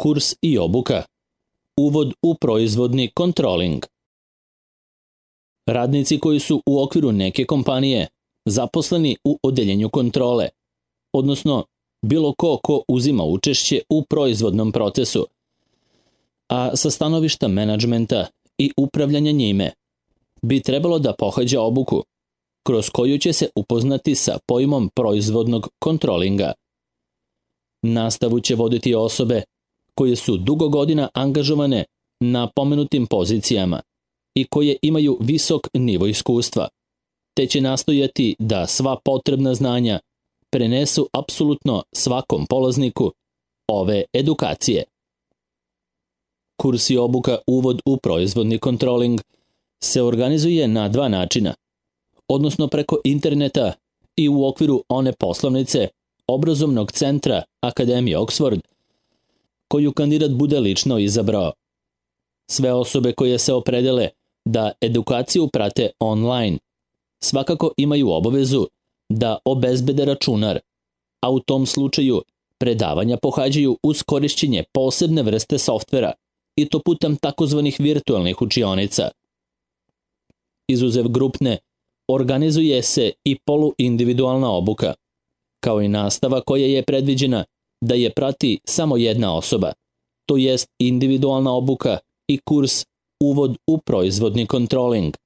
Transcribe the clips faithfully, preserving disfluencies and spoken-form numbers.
Kurs i obuka. Uvod u proizvodni kontroling. Radnici koji su u okviru neke kompanije zaposleni u odeljenju kontrole, odnosno bilo ko ko uzima učešće u proizvodnom procesu, a sa stanovišta menadžmenta i upravljanja njime, bi trebalo da pohađa obuku, kroz koju će se upoznati sa pojmom proizvodnog kontrolinga. Nastavu će voditi osobe koje su dugo godina angažovane na pomenutim pozicijama i koje imaju visok nivo iskustva, te će nastojati da sva potrebna znanja prenesu apsolutno svakom polazniku ove edukacije. Kurs i obuka Uvod u proizvodni kontroling se organizuje na dva načina, odnosno preko interneta i u okviru one poslovnice obrazovnog centra Akademije Oxford, koju kandidat bude lično izabrao. Sve osobe koje se opredele da edukaciju prate online svakako imaju obavezu da obezbede računar, a u tom slučaju predavanja pohađaju uz korišćenje posebne vrste softvera i to putem takozvanih virtualnih učionica. Izuzev grupne, organizuje se i poluindividualna obuka, kao i nastava koja je predviđena da je prati samo jedna osoba, to jest individualna obuka i kurs Uvod u proizvodni kontroling,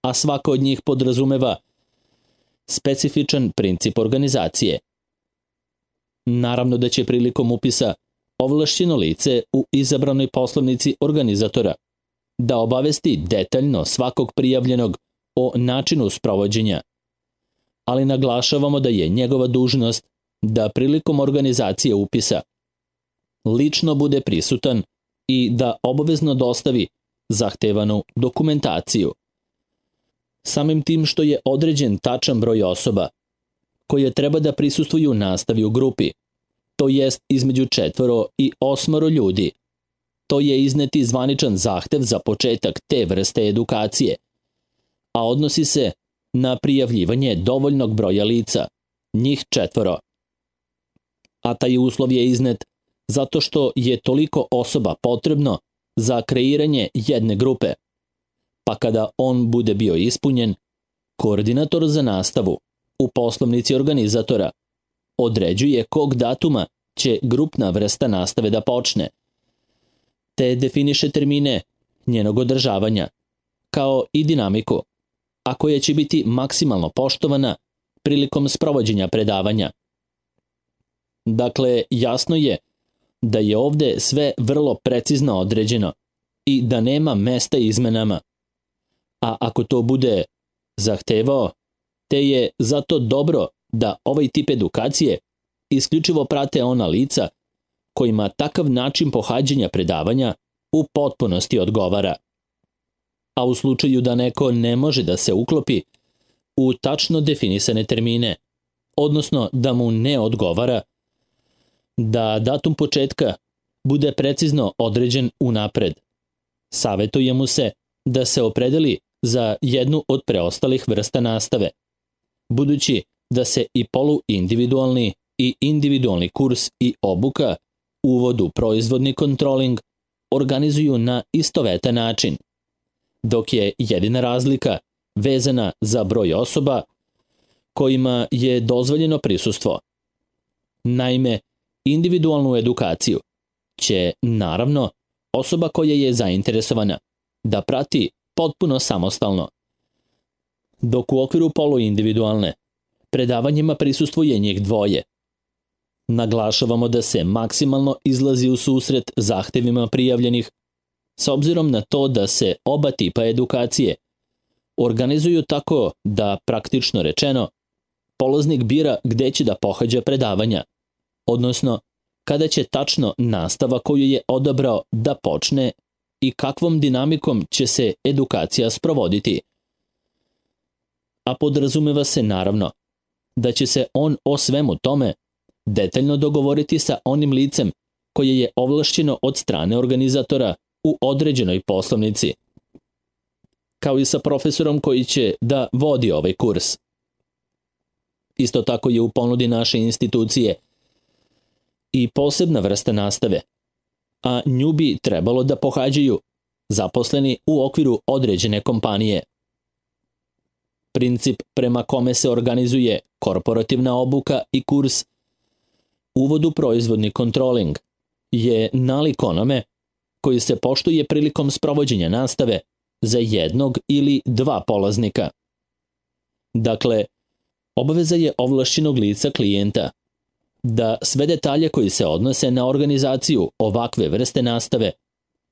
a svaka od njih podrazumeva specifičan princip organizacije. Naravno da će prilikom upisa ovlašćeno lice u izabranoj poslovnici organizatora da obavesti detaljno svakog prijavljenog o načinu sprovođenja, ali naglašavamo da je njegova dužnost da prilikom organizacije upisa lično bude prisutan i da obavezno dostavi zahtevanu dokumentaciju. Samim tim što je određen tačan broj osoba koje treba da prisustvuju nastavi u grupi, to jest između četvoro i osmoro ljudi, to je izneti zvaničan zahtev za početak te vrste edukacije, a odnosi se na prijavljivanje dovoljnog broja lica, njih četvoro. A taj uslov je iznet zato što je toliko osoba potrebno za kreiranje jedne grupe, pa kada on bude bio ispunjen, koordinator za nastavu u poslovnici organizatora određuje kog datuma će grupna vrsta nastave da počne, te definiše termine njenog održavanja, kao i dinamiku, a koja će biti maksimalno poštovana prilikom sprovođenja predavanja. Dakle, jasno je da je ovde sve vrlo precizno određeno i da nema mesta izmenama, a ako to bude zahtevao, te je zato dobro da ovaj tip edukacije isključivo prate ona lica kojima takav način pohađanja predavanja u potpunosti odgovara. A u slučaju da neko ne može da se uklopi u tačno definisane termine, odnosno da mu ne odgovara, da datum početka bude precizno određen unapred. Savetuje mu se da se opredeli za jednu od preostalih vrsta nastave, budući da se i poluindividualni i individualni kurs i obuka Uvod u proizvodni kontroling organizuju na istovetan način, dok je jedina razlika vezana za broj osoba kojima je dozvoljeno prisustvo. Naime, individualnu edukaciju će, naravno, osoba koja je zainteresovana da prati potpuno samostalno, dok u okviru poluindividualne predavanjima prisustvuje njih dvoje. Naglašavamo da se maksimalno izlazi u susret zahtevima prijavljenih, s obzirom na to da se oba tipa edukacije organizuju tako da, praktično rečeno, polaznik bira gde će da pohađa predavanja, odnosno kada će tačno nastava koju je odabrao da počne i kakvom dinamikom će se edukacija sprovoditi. A podrazumeva se naravno da će se on o svemu tome detaljno dogovoriti sa onim licem koje je ovlašćeno od strane organizatora u određenoj poslovnici, kao i sa profesorom koji će da vodi ovaj kurs. Isto tako je u ponudi naše institucije i posebna vrsta nastave, a nju bi trebalo da pohađaju zaposleni u okviru određene kompanije. Princip prema kome se organizuje korporativna obuka i kurs Uvod u proizvodni kontroling je nalik onome koji se poštuje prilikom sprovođenja nastave za jednog ili dva polaznika. Dakle, obaveza je ovlašćenog lica klijenta da sve detalje koji se odnose na organizaciju ovakve vrste nastave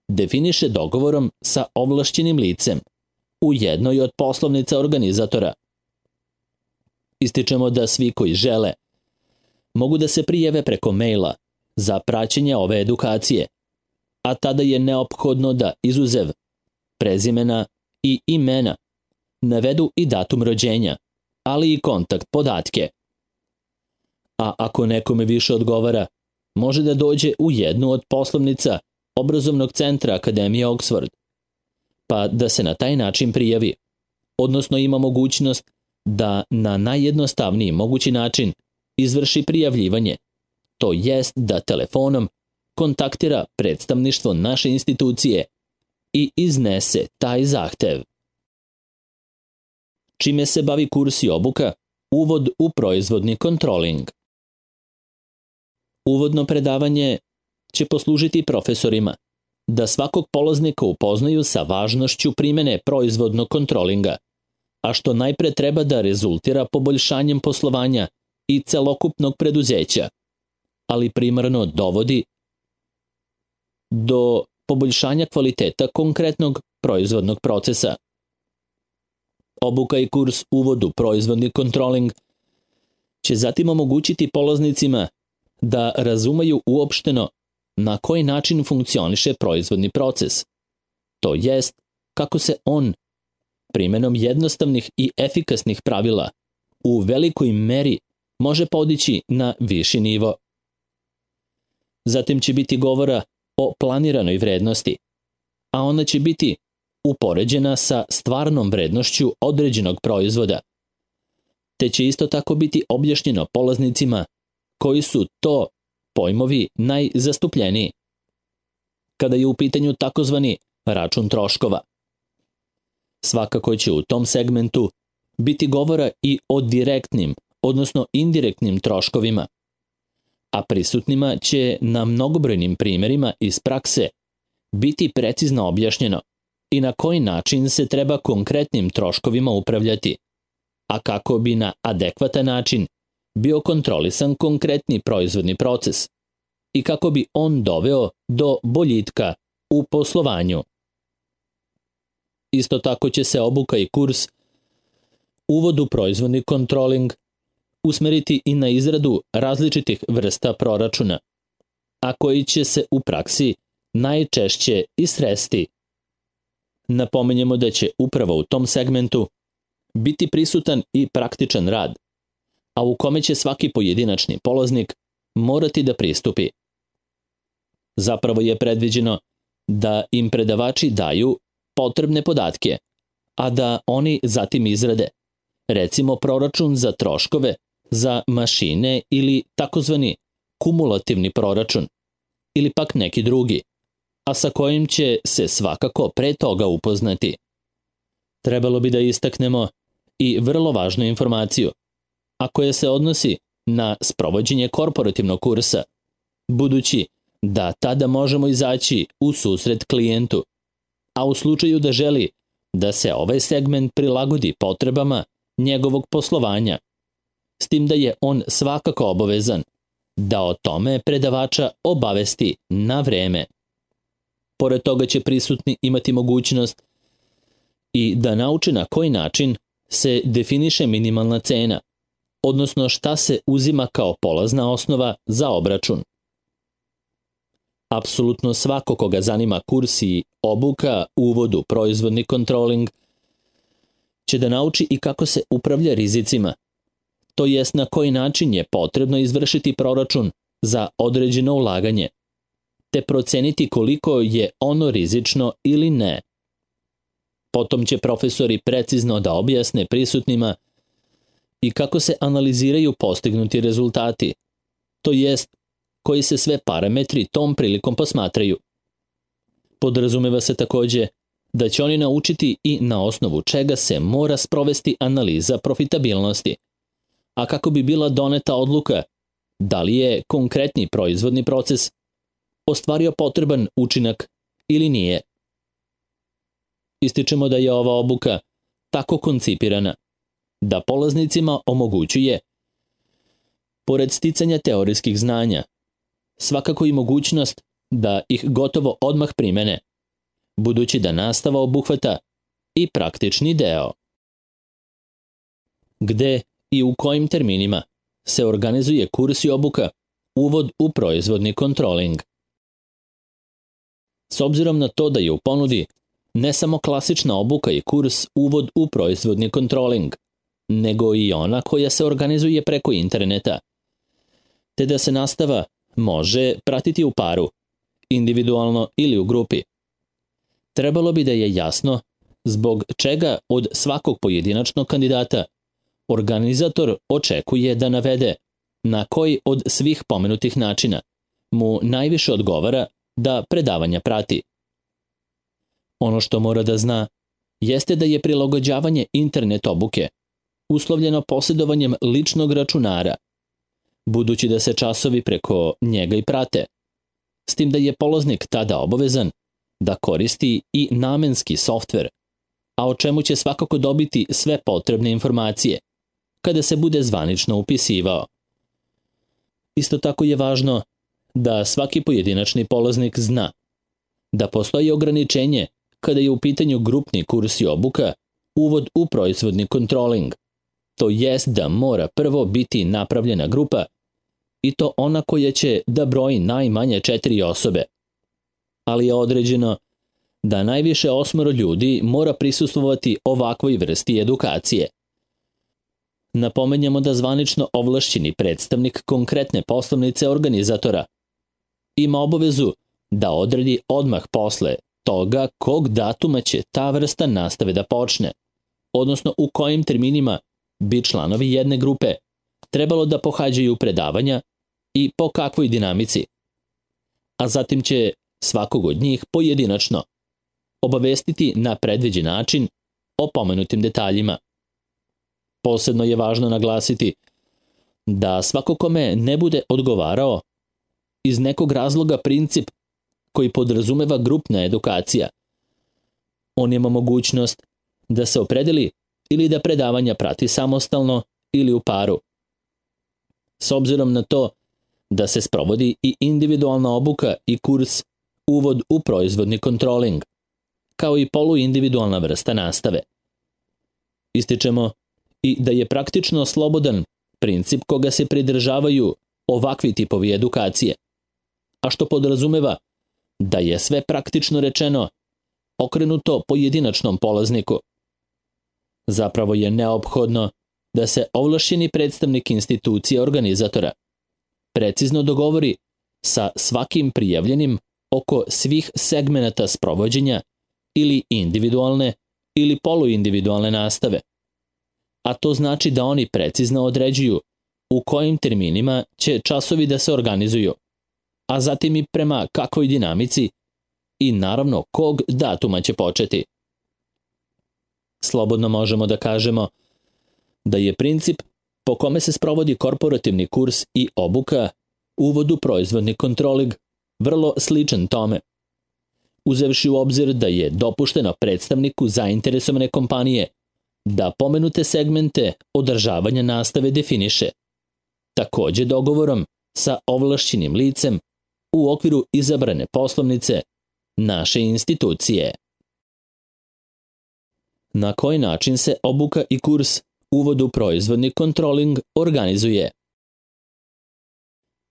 definiše dogovorom sa ovlašćenim licem u jednoj od poslovnica organizatora. Ističemo da svi koji žele mogu da se prijave preko maila za praćenje ove edukacije, a tada je neophodno da izuzev prezimena i imena navedu i datum rođenja, ali i kontakt podatke. A ako nekome više odgovara, može da dođe u jednu od poslovnica obrazovnog centra Akademije Oxford, pa da se na taj način prijavi, odnosno ima mogućnost da na najjednostavniji mogući način izvrši prijavljivanje, to jest da telefonom kontaktira predstavništvo naše institucije i iznese taj zahtev. Čime se bavi kurs i obuka? Uvod u proizvodni kontroling. Uvodno predavanje će poslužiti profesorima da svakog polaznika upoznaju sa važnošću primene proizvodnog kontrolinga, a što najpre treba da rezultira poboljšanjem poslovanja i celokupnog preduzeća, ali primarno dovodi do poboljšanja kvaliteta konkretnog proizvodnog procesa. Obuka i kurs Uvod u proizvodni kontroling će zatim omogućiti polaznicima da razumeju uopšteno na koji način funkcioniše proizvodni proces, to jest kako se on primenom jednostavnih i efikasnih pravila u velikoj meri može podići na viši nivo. Zatim će biti govora o planiranoj vrednosti, a ona će biti upoređena sa stvarnom vrednošću određenog proizvoda, te će isto tako biti objašnjeno polaznicima koji su to pojmovi najzastupljeniji, kada je u pitanju takozvani račun troškova. Svakako će u tom segmentu biti govora i o direktnim, odnosno indirektnim troškovima, a prisutnima će na mnogobrojnim primerima iz prakse biti precizno objašnjeno i na koji način se treba konkretnim troškovima upravljati, a kako bi na adekvatan način bio kontrolisan konkretni proizvodni proces i kako bi on doveo do boljitka u poslovanju. Isto tako će se obuka i kurs Uvod u proizvodni kontroling usmeriti i na izradu različitih vrsta proračuna, a koji će se u praksi najčešće i sresti. Napominjemo da će upravo u tom segmentu biti prisutan i praktičan rad, a u kome će svaki pojedinačni polaznik morati da pristupi. Zapravo je predviđeno da im predavači daju potrebne podatke, a da oni zatim izrade, recimo proračun za troškove, za mašine ili takozvani kumulativni proračun, ili pak neki drugi, a sa kojim će se svakako pre toga upoznati. Trebalo bi da istaknemo i vrlo važnu informaciju, a koja se odnosi na sprovođenje korporativnog kursa, budući da tada možemo izaći u susret klijentu, a u slučaju da želi da se ovaj segment prilagodi potrebama njegovog poslovanja, s tim da je on svakako obavezan da o tome predavača obavesti na vreme. Pored toga će prisutni imati mogućnost i da nauče na koji način se definiše minimalna cena, odnosno šta se uzima kao polazna osnova za obračun. Apsolutno svako koga zanima kurs i obuka Uvod u proizvodni kontroling će da nauči i kako se upravlja rizicima, to jest na koji način je potrebno izvršiti proračun za određeno ulaganje, te proceniti koliko je ono rizično ili ne. Potom će profesori precizno da objasne prisutnima i kako se analiziraju postignuti rezultati, to jest koji se sve parametri tom prilikom posmatraju. Podrazumeva se takođe da će oni naučiti i na osnovu čega se mora sprovesti analiza profitabilnosti, a kako bi bila doneta odluka da li je konkretni proizvodni proces ostvario potreban učinak ili nije. Ističemo da je ova obuka tako koncipirana da polaznicima omogućuje, pored sticanja teorijskih znanja, svakako i mogućnost da ih gotovo odmah primene, budući da nastava obuhvata i praktični deo. Gde i u kojim terminima se organizuje kurs i obuka uvod u proizvodni kontroling. S obzirom na to da je u ponudi ne samo klasična obuka i kurs uvod u proizvodni kontroling, nego i ona koja se organizuje preko interneta, te da se nastava može pratiti u paru, individualno ili u grupi. Trebalo bi da je jasno zbog čega od svakog pojedinačnog kandidata organizator očekuje da navede na koji od svih pomenutih načina mu najviše odgovara da predavanja prati. Ono što mora da zna jeste da je prilagođavanje internet obuke uslovljeno posjedovanjem ličnog računara, budući da se časovi preko njega i prate, s tim da je polaznik tada obavezan da koristi i namenski softver, a o čemu će svakako dobiti sve potrebne informacije kada se bude zvanično upisivao. Isto tako je važno da svaki pojedinačni polaznik zna da postoji ograničenje kada je u pitanju grupni kurs i obuka uvod u proizvodni kontroling, to jest da mora prvo biti napravljena grupa i to ona koja će da broji najmanje četiri osobe, ali je određeno da najviše osmoro ljudi mora prisustvovati ovakvoj vrsti edukacije. Napomenjamo da zvanično ovlašćeni predstavnik konkretne poslovnice organizatora ima obavezu da odredi odmah posle toga kog datuma će ta vrsta nastave da počne, odnosno u kojim terminima bi članovi jedne grupe trebalo da pohađaju predavanja i po kakvoj dinamici, a zatim će svakog od njih pojedinačno obavestiti na predviđen način o pomenutim detaljima. Posebno je važno naglasiti da svako kome ne bude odgovarao iz nekog razloga princip koji podrazumeva grupna edukacija, on ima mogućnost da se opredeli ili da predavanja prati samostalno ili u paru. S obzirom na to da se sprovodi i individualna obuka i kurs uvod u proizvodni kontroling, kao i poluindividualna vrsta nastave. Ističemo i da je praktično slobodan princip koga se pridržavaju ovakvi tipovi edukacije, a što podrazumeva da je sve praktično rečeno okrenuto pojedinačnom polazniku. Zapravo je neophodno da se ovlašćeni predstavnik institucije organizatora precizno dogovori sa svakim prijavljenim oko svih segmenata sprovođenja ili individualne ili poluindividualne nastave, a to znači da oni precizno određuju u kojim terminima će časovi da se organizuju, a zatim i prema kakvoj dinamici i naravno kog datuma će početi. Slobodno možemo da kažemo da je princip po kome se sprovodi korporativni kurs i obuka uvod u proizvodni kontroling vrlo sličan tome, uzevši u obzir da je dopušteno predstavniku zainteresovane kompanije da pomenute segmente održavanja nastave definiše, takođe dogovorom sa ovlašćenim licem u okviru izabrane poslovnice naše institucije. Na koji način se obuka i kurs uvod u proizvodni kontroling organizuje?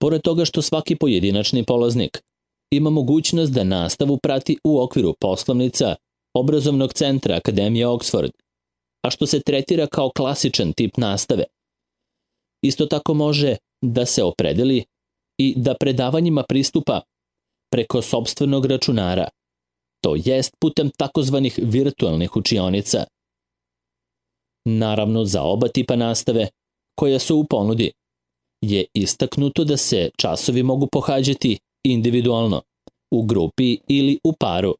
Pored toga što svaki pojedinačni polaznik ima mogućnost da nastavu prati u okviru poslovnica obrazovnog centra Akademije Oxford, a što se tretira kao klasičan tip nastave, isto tako može da se opredeli i da predavanjima pristupa preko sopstvenog računara, to jest putem takozvanih virtualnih učionica. Naravno, za oba tipa nastave, koja su u ponudi, je istaknuto da se časovi mogu pohađati individualno u grupi ili u paru.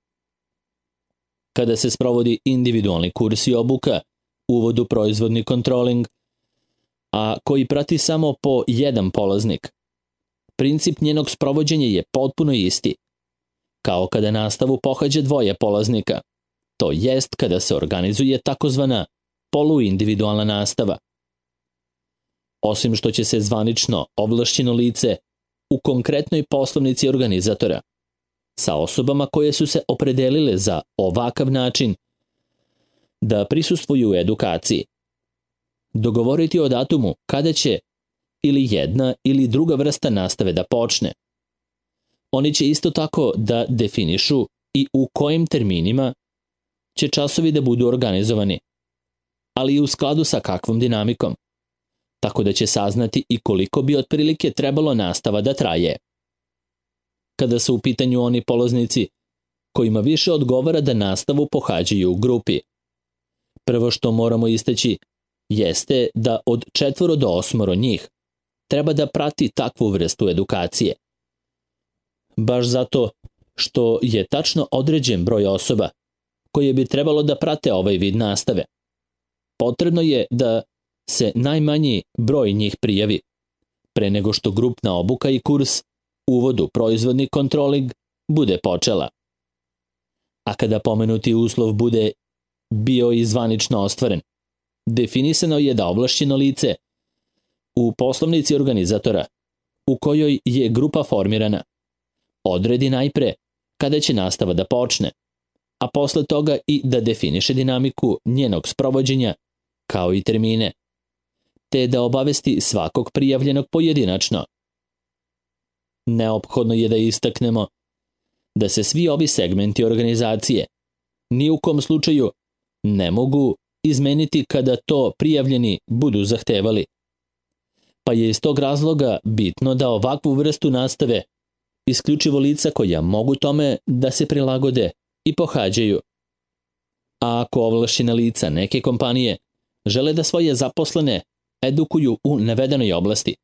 Kada se sprovodi individualni kurs i obuka, uvod u proizvodni kontroling, a koji prati samo po jedan polaznik, princip njenog sprovođenja je potpuno isti, kao kada nastavu pohađa dvoje polaznika, to jest kada se organizuje takozvana poluindividualna nastava. Osim što će se zvanično ovlašćeno lice u konkretnoj poslovnici organizatora, sa osobama koje su se opredelile za ovakav način da prisustvuju edukaciji, dogovoriti o datumu kada će ili jedna ili druga vrsta nastave da počne. Oni će isto tako da definišu i u kojim terminima će časovi da budu organizovani, ali i u skladu sa kakvom dinamikom, tako da će saznati i koliko bi otprilike trebalo nastava da traje. Kada su u pitanju oni polaznici kojima više odgovara da nastavu pohađaju u grupi, prvo što moramo istaći jeste da od četvoro do osmoro njih treba da prati takvu vrstu edukacije. Baš zato što je tačno određen broj osoba koje bi trebalo da prate ovaj vid nastave. Potrebno je da se najmanji broj njih prijavi, pre nego što grupna obuka i kurs uvod u proizvodni kontroling bude počela. A kada pomenuti uslov bude bio i zvanično ostvaren, definisano je da ovlašćeno lice u poslovnici organizatora u kojoj je grupa formirana odredi najpre kada će nastava da počne, a posle toga i da definiše dinamiku njenog sprovođenja kao i termine, te da obavesti svakog prijavljenog pojedinačno. Neophodno je da istaknemo da se svi ovi segmenti organizacije ni u kom slučaju ne mogu izmeniti kada to prijavljeni budu zahtevali, pa je iz tog razloga bitno da ovakvu vrstu nastave isključivo lica koja mogu tome da se prilagode i pohađaju. A ako ovlašćena lica neke kompanije žele da svoje zaposlene edukuju u navedenoj oblasti,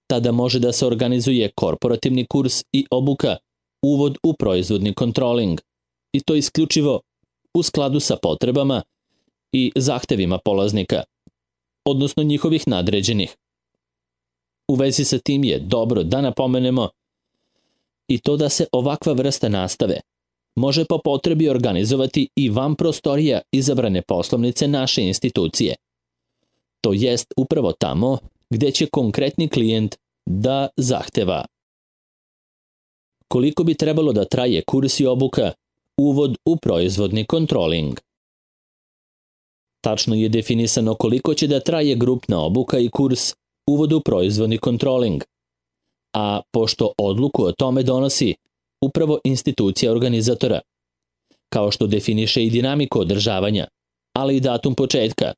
tada može da se organizuje korporativni kurs i obuka uvod u proizvodni kontroling, i to isključivo u skladu sa potrebama i zahtevima polaznika, odnosno njihovih nadređenih. U vezi sa tim je dobro da napomenemo i to da se ovakva vrsta nastave može po potrebi organizovati i van prostorija izabrane poslovnice naše institucije. To jest upravo tamo gde će konkretni klijent da zahteva. Koliko bi trebalo da traje kurs i obuka uvod u proizvodni kontroling? Tačno je definisano koliko će da traje grupna obuka i kurs uvod u proizvodni kontroling, a pošto odluku o tome donosi upravo institucija organizatora, kao što definiše i dinamiku održavanja, ali i datum početka,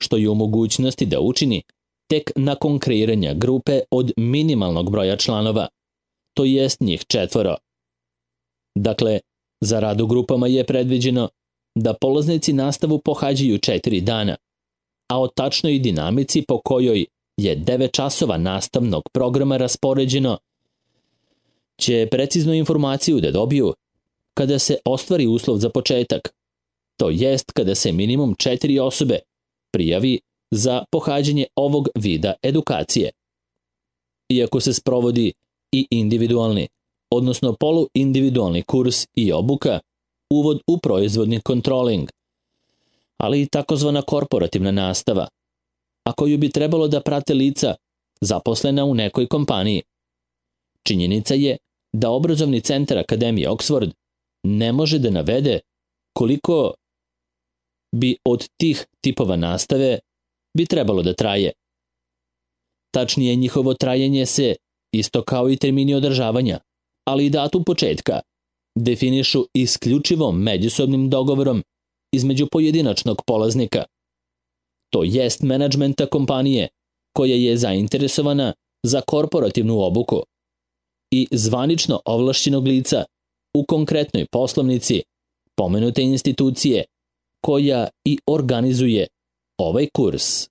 što je u mogućnosti da učini tek nakon kreiranja grupe od minimalnog broja članova, to jest njih četvoro. Dakle, za rad u grupama je predviđeno da polaznici nastavu pohađaju četiri dana, a o tačnoj dinamici po kojoj je devet časova nastavnog programa raspoređeno će preciznu informaciju da dobiju kada se ostvari uslov za početak, to jest kada se minimum četiri osobe prijavi za pohađanje ovog vida edukacije. Iako se sprovodi i individualni, odnosno poluindividualni kurs i obuka, uvod u proizvodni kontroling, ali i takozvana korporativna nastava, a koju bi trebalo da prate lica zaposlena u nekoj kompaniji. Činjenica je da obrazovni centar Akademije Oxford ne može da navede koliko bi od tih tipova nastave bi trebalo da traje. Tačnije, njihovo trajanje se, isto kao i termini održavanja, ali i datum početka, definišu isključivo međusobnim dogovorom između pojedinačnog polaznika, to jest menadžmenta kompanije koja je zainteresovana za korporativnu obuku i zvanično ovlašćenog lica u konkretnoj poslovnici pomenute institucije koja i organizuje ovaj kurs.